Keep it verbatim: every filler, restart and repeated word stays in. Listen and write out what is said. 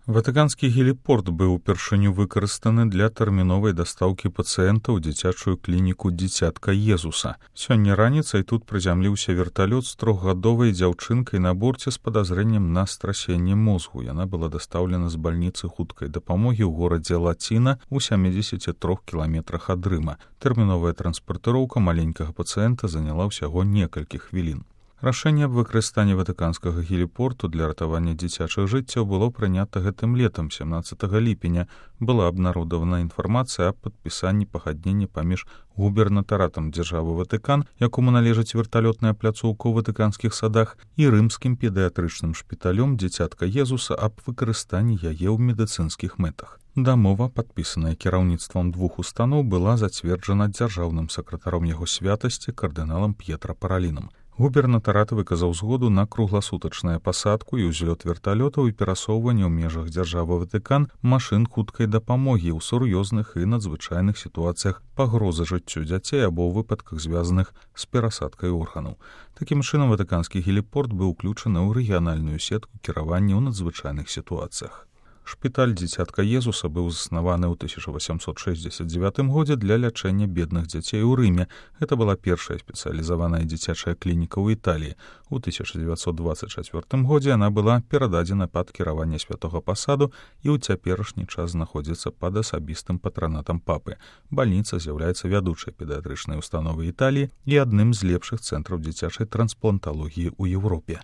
Ватыканскі геліпорт быў упершыню выкарыстаны для тэрміновай дастаўкі пацыента ў дзіцячую клініку дзіцятка Езуса. Сёння раніцай тут прызямліўся верталёт з трохгадовай дзяўчынкай на борце з падазрэннем на страсенне мозгу. Яна была дастаўлена з бальніцы хуткай дапамогі ў горадзе Лаціна ў сямідзесяці трох кіламетрах ад Рыма. Тэрміновая транспартыроўка маленькага пацыента заняла ўсяго некалькі хвілін. Рашэнне аб выкарыстанні ватыканскага геліпорту для ратавання дзіцячых жыццяў было прынята гэтым летам, сямнаццатага ліпеня. Была абнародавана інфармацыя аб падпісанні пагаднення паміж губернатаратам дзяржавы Ватыкан, якому належыць верталётная пляцоўка ў ватыканскіх садах, і рымскім педыятрычным шпіталём дзіцятка Езуса аб выкарыстанні яе ў медыцынскіх мэтах. Дамова, падпісаная кіраўніцтвам двух устаноў, была зацверджана дзяржаўным сакратаром яго святасці кардыналам П'етра Паралінам. Губернатарат выказаў згоду на кругласутачную пасадку і ўзлёт верталётаў і перасоўванне ў межах дзяржавы Ватыкан машын хуткай дапамогі ў сур'ёзных і надзвычайных сітуацыях пагрозы жыццю дзяцей або ў выпадках, звязаных з перасадкай органаў. Такім чынам, ватыканскі геліпорт быў уключаны ў рэгіянальную сетку кіравання ў надзвычайных сітуацыях. Шпіталь дзіцятка Езуса быў заснаваны ў тысяча васямсот шэсцьдзесят дзевятым годзе для лячэння бедных дзяцей у Рыме. Гэта была першая спецыялізаваная дзіцячая клініка ў Італіі. У тысяча дзевяцьсот дваццаць чацвёртым годзе яна была перададзена пад кіраванне святога пасаду і ў цяперашні час знаходзіцца пад асабістым патранатам папы. Бальніца з'яўляецца вядучай педыятрычнай установай Італіі і адным з лепшых цэнтраў дзіцячай транспланталогіі ў Еўропе.